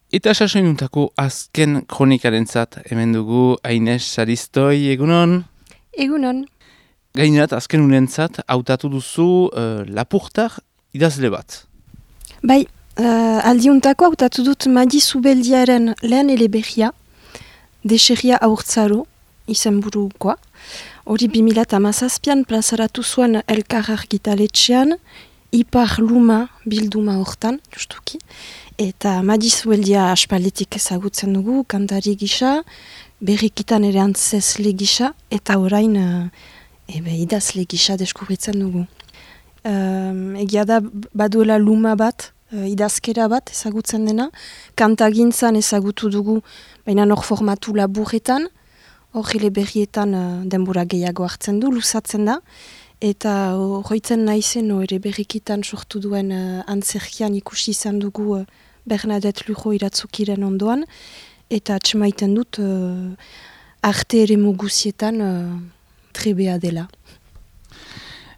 Eta sasoinuntako azken kronikarentzat hemen dugu Aines Saristoi, egunon? Egunon. Gainerat, azken unentzat, hautatu duzu lapurtar idazle bat. Bai, aldiuntako hautatu dut Madi Zubeldiaren lehen eleberria, Deserria Haurtzaro, izenburukoa. Hori 2017an plazaratu zuen Elkar argitaletxean, Ipar Luma bilduma hortan, justuki. Eta Madi Zubeldia aspalditik ezagutzen dugu, kantari gisa, berrikitan ere antzesle gisa, eta orain idazle gisa deskubritzen dugu. Egia da baduela luma bat, idazkera bat ezagutzen dena, kantagintzan ezagutu dugu, baina hor formatu laburretan, hor eleberrietan denbora gehiago hartzen du, luzatzen da, eta horretzen naizen ere berrikitan sortu duen antzerkian ikusi izan dugu Bernadette Lujo iratzukiren ondoan, eta atxemaiten dut arte ere muguzietan trebea dela.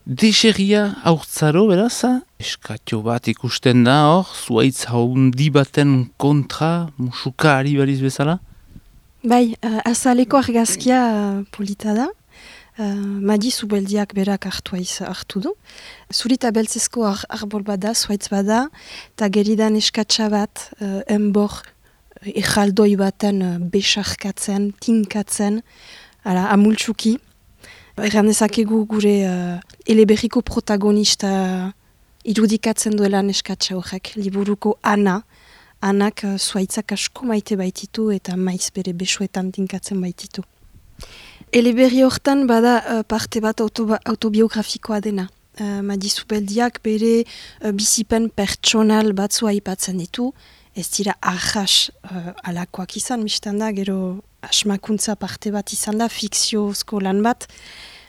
Deserria Haurtzaro, beraz, eskatio bat ikusten da hor, zuaitz haundi baten kontra musuka ari bariz bezala? Bai, azaleko argazkia polita da. Madi Zubeldiak berak hartu du. Zurita beltzezko arbol bada, zuaitz bada, eta geridan eskatsa bat, enbor ejaldoi baten besarkatzen, tinkatzen, amultsuki. Erran dezakegu gure eleberriko protagonista irudikatzen duela eskatsa horrek, liburuko Anak zuaitzak asko maite baititu eta maiz bere besoetan tinkatzen baititu. Eleberri hortan bada parte bat autobiografikoa dena. Madi Zubeldiak bere bizipen pertsonal batzua aipatzen ditu. Ez dira ahas alakoak izan, mistan da, gero asmakuntza parte bat izan da, fikziozko lan bat.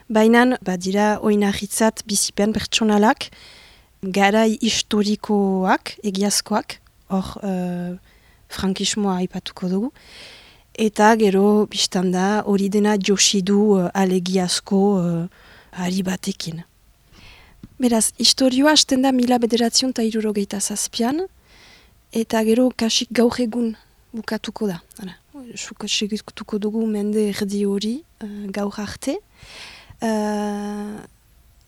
Baina badira oinarritzat bizipen pertsonalak, garai historikoak, egiazkoak, hor frankismoa aipatuko dugu. Eta gero, biztanda, hori dena josidu alegiazko ari batekin. Beraz, historioa hasten da 1967an, eta gero kasik gaur egun bukatuko da. Segituko dugu mende erdi hori gaur arte.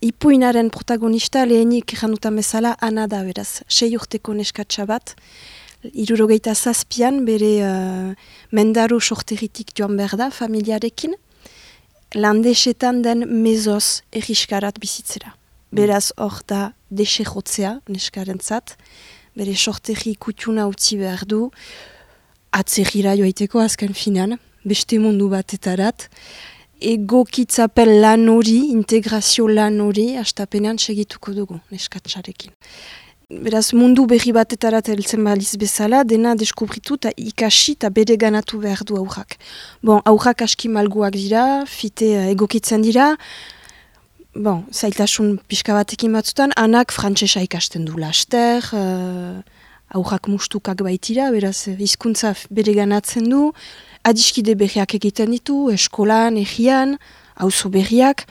Ipuinaren protagonista lehenik janutan bezala Ana da, beraz, 6 urteko neskatsa bat, 1967an bere mendaro sorteritik joan behar da, familiarekin, landesetan den mezoz erriskarat bizitzera. Beraz hor da deserrotzea neskarentzat, bere sorterri kutxuna utzi behar du, atzerrira joaiteko azken finan, beste mundu batetarat, egokitzapen lan hori, integrazio lan hori, hastapenean segituko dugu neskatsarekin. Beraz, mundu berri batetarat heltzen baliz bezala, dena deskubritu eta ikasi eta bere ganatu behar du aurrak. Bon, aurrak aski malguak dira, fite egokitzen dira, zailtasun pixka batekin batzutan, Anak frantsesa ikasten du laster, aurrak mustukak baitira, beraz, hizkuntza bere ganatzen du, adiskide berriak egiten ditu, eskolan, egian, auzo berriak,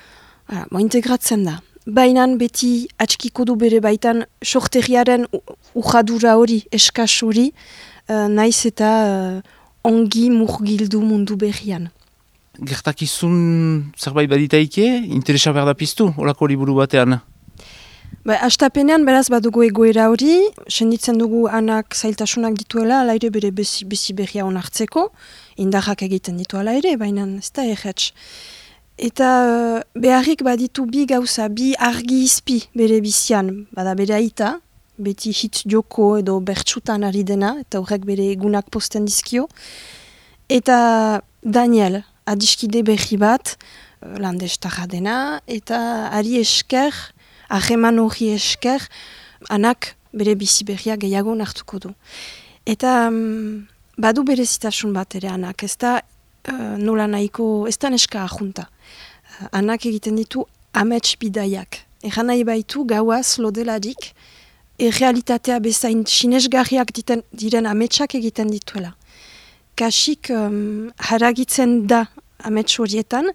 integratzen da. Baina beti atxikiko du bere baitan sorteriaren ujadura hori, eskas hori, naiz eta ongi murgildu mundu berrian. Gertakizun zerbait baditaike, interesa behar da piztu, olako liburu batean? Hastapenean beraz badugu egoera hori, senditzen dugu Anak zailtasunak dituela, ala ere bere bizi berria onartzeko, indarrak egiten ditu ala ere, baina ez da erretz. Eta beharrik baditu bi gauza, bi argi izpi bere bizian, bada bere aita, beti hitz joko edo bertsutan ari dena, eta horrek bere egunak posten dizkio. Eta Daniel, adiskide berri bat, landestarra dena, eta ari esker, ahreman hori esker, Anak bere bizi berria gehiago nartuko du. Eta badu bere zitasun bat ere Anak, ez da nola nahiko, ez da neska ahunta. Anak egiten ditu amets bidaiak. Egan nahi baitu gauaz lodelarik, realitatea bezain sinesgarriak diren ametsak egiten dituela. Kasik haragitzen da amets horietan,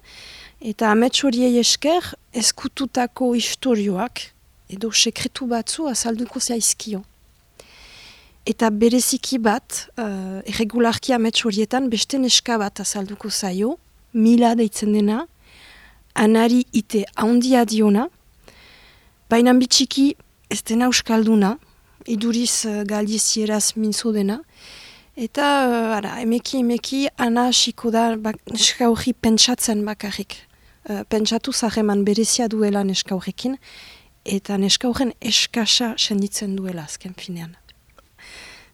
eta amets horiei esker ezkututako istorioak edo sekretu batzu azalduko zaizkio. eta bereziki bat, irregularki amets horietan, beste neska bat azalduko zaio, Mila deitzen dena, anari ite handia diona, baina bitxiki ez dena euskalduna, iduriz galdizieraz mintzo dena, eta emeki ana hasiko da neska hori pentsatzen bakarrik. Pentsatu zaheman berezia duela neska horrekin, eta neska horren eskasa senditzen duela azken finean.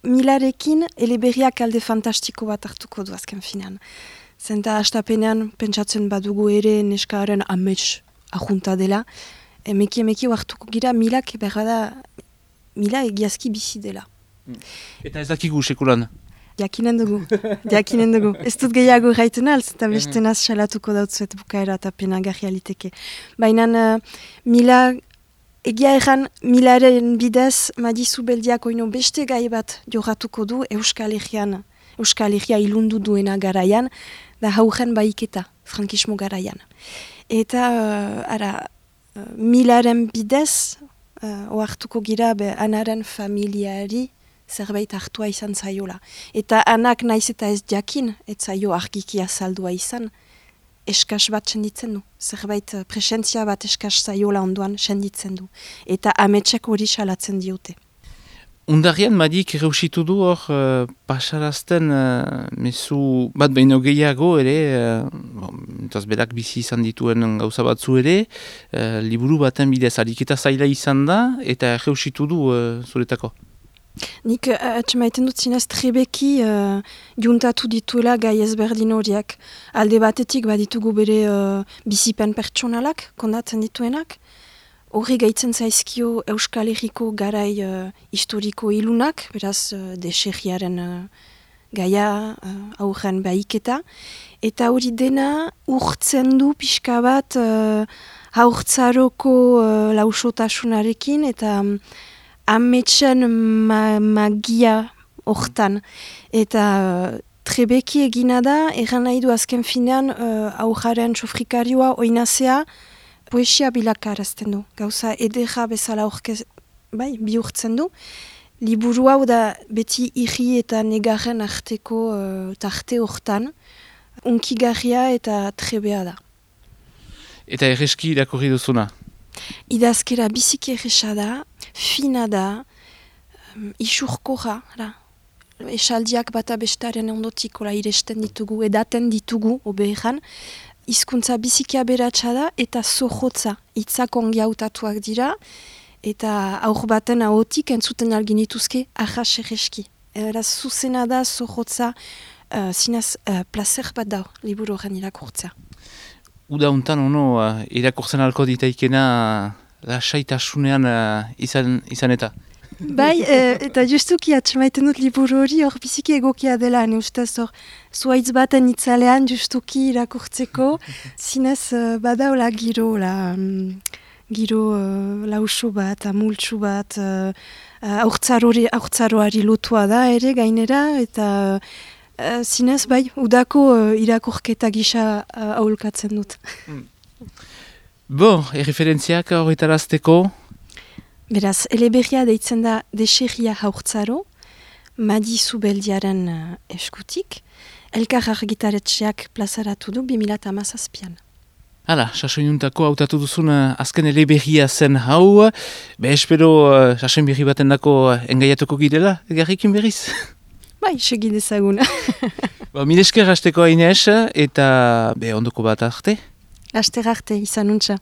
Milarekin eleberriak alde fantastiko bat hartuko du azken finean. Zenta hastapenean pentsatzen badugu ere neskaren amets ahunta dela, emeki hartuko gira Milak berrada Mila egiazki bizi dela. Eta ez dakigu sekulan? Jakinen dugu. Ez dut gehiago gaiten alz, eta beste naz salatuko dautzuet bukaera eta penagarri aliteke. Baina Mila, egia erran Milaren bidez, Madizu Beldiak oino beste gai bat joratuko du Euskal Herria ilundu duena garaian, da haugen baiketa, frankismo garaian. Eta, Milaren bidez, oartuko gira anaren familiari zerbait hartua izan zaiola. Eta anak naiz eta ez jakin, ez zaio argiki azaldua izan, eskas bat senditzen du. Zerbait presentzia bat eskas zaiola ondoan senditzen du. Eta ametsek hori salatzen diote. Undarrian Madik erreusitu du hor pasarazten mezu bat behin gehiago ere, entaz berak bizi izan dituen gauza batzu ere, liburu baten bidez ariketa zaila izan da, eta erreusitu du zuretako. Nik atxemaiten dut zinez trebeki juntatu dituela gai ezberdin horiak. Alde batetik baditugu bere bizipen pertsonalak, kondatzen dituenak. Horri gaitzen zaizkio Euskal Herriko garai historiko ilunak, beraz deserriaren gaia aurren baiketa. Eta hori dena urtzen du pixka bat haurtzaroko lausotasunarekin eta ametsen magia hortan. Eta trebeki egina da, erran nahi du azken finean aurraren sofrikarioa oinazea poesia bilakarazten du. Gauza edera bezala bihurtzen du. Liburu hau da beti irri eta negarren arteko tarte hortan. Unkigarria eta trebea da. Eta erreski irakurri duzuna? Idazkera biziki erresa da, fina da, isurkorra. Esaldiak bata bestaren ondotik iresten ditugu, edaten ditugu, obeeran. Hizkuntza biziki aberatsa da eta zohotza, hitzak ongi hautatuak dira, eta aur baten ahotik entzuten alginituzke ahas erreski. Eraz zuzena da, zohotza, zinez placer bat da, liburu horren irakurtzea. Uda hontan irakurtzen alko ditaikena lasaitasunean izan eta? Bai, eta justuki atxemaiten dut liburu hori hor biziki egokia dela, ustez hor zuaitz baten itzalean justuki irakurtzeko, zinez badaola giro lauso bat, amultsu bat, aurtzaroari lotua da ere gainera, eta zinez bai, udako irakurketa gisa aholkatzen dut. Bo, erreferentziak horretarazteko? Beraz, eleberria deitzen da Deserria haurtzaro, Madizu Beldiaren eskutik, elkar argitaretxeak plazaratu du 2017an. Hala, sasoinuntako hautatu duzun azken eleberria zen hau, espero sasoin berri baten dako engaiatuko girela, egarrikin berriz? Bai, segi dezaguna. Mil esker hasteko Inez, eta ondoko bat arte? Aster arte, izan untxa.